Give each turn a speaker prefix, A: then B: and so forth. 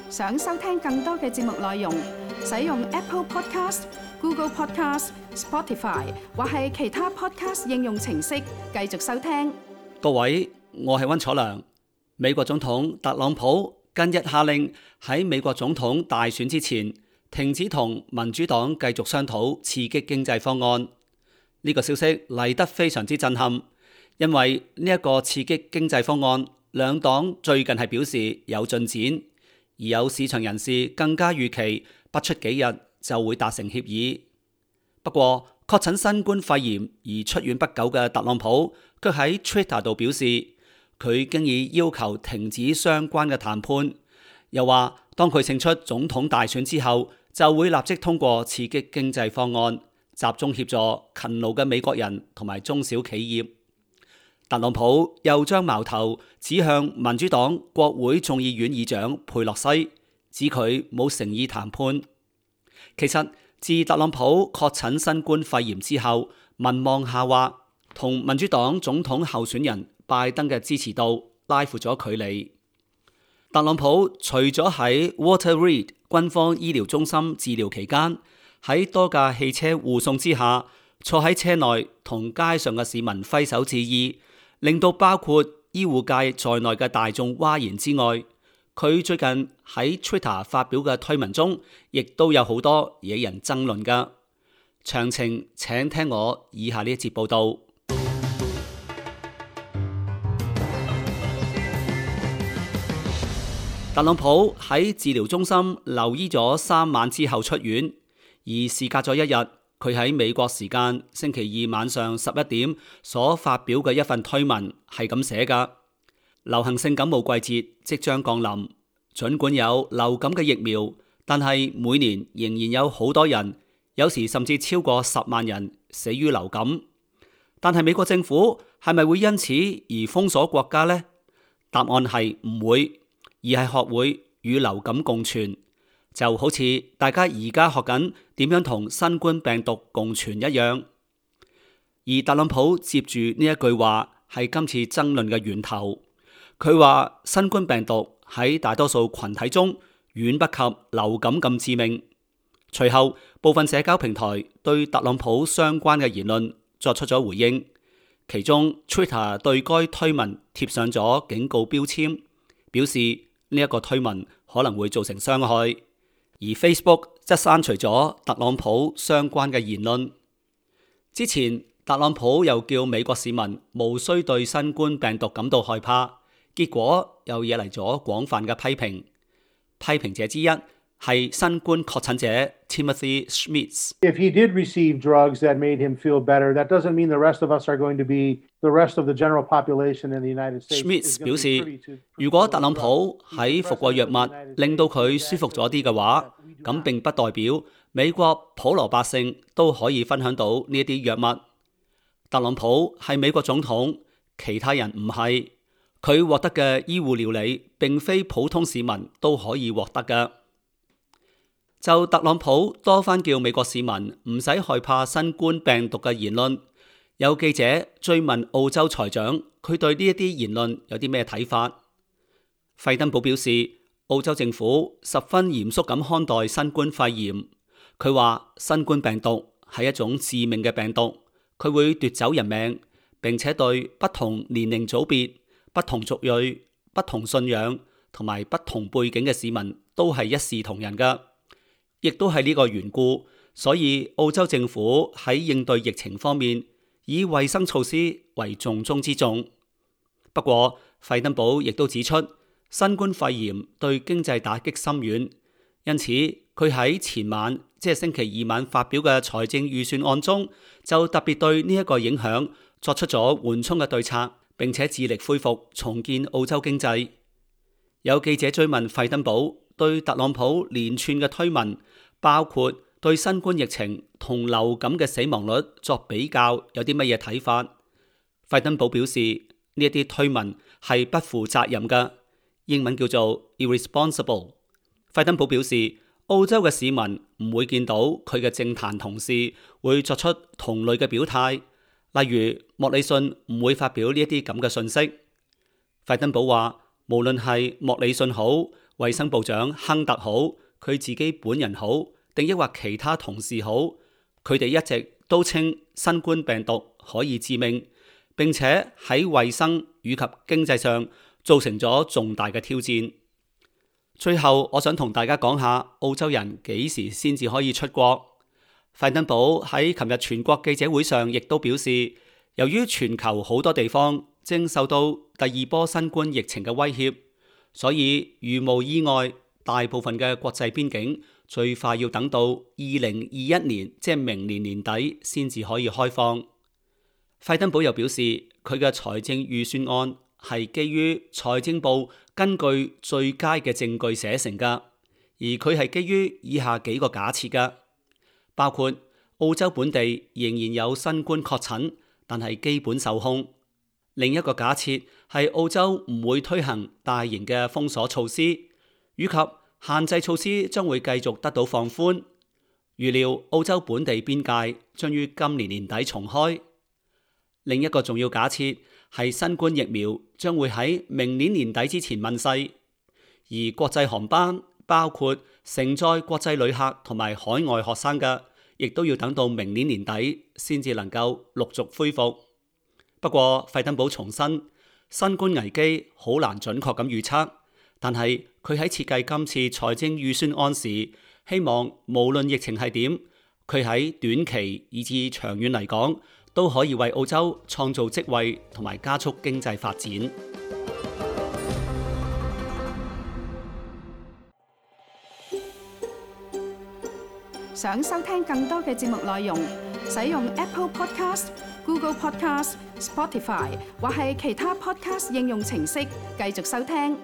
A: 想收聽更多嘅節目內容，使用 Apple Podcast、Google Podcast、Spotify 或係其他 Podcast 應用程式繼續收聽。
B: 各位，我係溫楚良。美國總統特朗普近日下令喺美國總統大選之前停止同民主黨繼續商討刺激經濟方案。呢個消息嚟得非常之震撼，因為呢一個刺激經濟方案，兩黨最近係表示有進展。而有市場人士更加預期不出幾日就會達成協議。不過，確診新冠肺炎而出院不久嘅特朗普，卻喺 Twitter 度表示，佢經已要求停止相關嘅談判，又話當佢勝出總統大選之後，就會立即通過刺激經濟方案，集中協助勤勞嘅美國人同埋中小企業。特朗普又將矛頭指向民主黨國會眾議院議長佩洛西，指佢冇誠意談判。其實自特朗普確診新冠肺炎之後，民望下滑，同民主黨總統候選人拜登嘅支持度拉闊咗距離。特朗普除咗喺 Walter Reed 軍方醫療中心治療期間，喺多架汽車護送之下，坐喺車內同街上嘅市民揮手致意，令到包括醫護界在內嘅大眾譁然之外，佢最近喺 Twitter 發表嘅推文中，亦都有好多惹人爭論㗎。詳情請聽我以下呢一節報道。特朗普喺治療中心留醫咗3晚之後出院，而事隔咗一日。佢喺美國時間星期二晚上11點所發表嘅一份推文係咁寫㗎：流行性感冒季節即將降臨，儘管有流感嘅疫苗，但係每年仍然有好多人，有時甚至超過10萬人死於流感。但係美國政府係咪會因此而封鎖國家呢？答案係唔會，而係學會與流感共存。就好似大家而家學緊點樣同新冠病毒共存一樣，而特朗普接住呢一句話係今次爭論嘅源頭。佢話新冠病毒喺大多數群體中遠不及流感咁致命。隨後部分社交平台對特朗普相關嘅言論作出咗回應，其中 Twitter 對該推文貼上咗警告標籤，表示呢一個推文可能會造成傷害。而 Facebook 則刪除咗特朗普相關嘅言論。之前特朗普又叫美國市民無需對新冠病毒感到害怕，結果又惹嚟咗廣泛嘅批評。批評者之一係新冠確診者 Timothy Schmitz。If
C: he did receive drugs that made him feel better, that doesn't mean the rest of us are going to be the rest of the general population in the United States.
B: Schmitz 表示，如果特朗普喺服過藥物令到佢舒服咗啲嘅話，咁並不代表美國普羅百姓都可以分享到呢一啲藥物。特朗普係美國總統，其他人唔係，佢獲得嘅醫護療理並非普通市民都可以獲得嘅。就特朗普多番叫美國市民唔使害怕新冠病毒嘅言論，有記者追問澳洲財長，佢對呢一啲言論有啲咩睇法？費登堡表示，澳洲政府十分嚴肅咁看待新冠肺炎。佢話新冠病毒係一種致命嘅病毒，佢會奪走人命，並且對不同年齡組別、不同族裔、不同信仰同埋不同背景嘅市民都係一視同仁㗎。亦都係呢個緣故，所以澳洲政府喺應對疫情方面，以衛生措施為重中之重。不過，費登堡亦都指出，新冠肺炎對經濟打擊深遠，因此佢喺前晚，即係星期二晚發表嘅財政預算案中，就特別對呢一個影響作出咗緩衝嘅對策，並且致力恢復重建澳洲經濟。有記者追問費登堡對特朗普連串嘅推文，包括對新冠疫情同流感嘅死亡率作比較，有啲乜嘢睇法？費登堡表示呢一啲推文係不負責任嘅，英文叫做 irresponsible。費登堡表示，澳洲嘅市民唔會見到佢嘅政壇同事會作出同類嘅表態，例如莫里遜唔會發表呢一啲咁嘅信息。費登堡話，無論係莫里遜好，衛生部長亨特好，佢自己本人好，定抑或其他同事好，佢哋一直都稱新冠病毒可以致命，並且喺衛生以及經濟上造成咗重大嘅挑戰。最後，我想同大家講下澳洲人幾時先至可以出國。費登堡喺琴日全國記者會上亦都表示，由於全球好多地方正受到第二波新冠疫情嘅威脅，所以如無意外，大部分嘅國際邊境最快要等到2021年，即係明年年底先至可以開放。費登堡又表示，佢嘅財政預算案係基於財政部根據最佳嘅證據寫成㗎，而佢係基於以下幾個假設㗎，包括澳洲本地仍然有新冠確診，但係基本受控。另一個假設係澳洲唔會推行大型嘅封鎖措施，以及限制措施將會繼續得到放寬。預料澳洲本地邊界將於今年年底重開。另一個重要假設係新冠疫苗將會喺明年年底之前問世，而國際航班包括承載國際旅客同埋海外學生嘅，亦都要等到明年年底先至能夠陸續恢復。不過費登堡重申，新冠危機好難準確咁預測，但係佢喺設計今次財政預算案時，希望無論疫情係點，佢喺短期以至長遠嚟講，都可以為澳洲創造職位同埋加速經濟發展。
A: 想收聽更多嘅節目內容，使用 Apple Podcast、Google Podcast、Spotify 或係其他 Podcast 應用程式繼續收聽。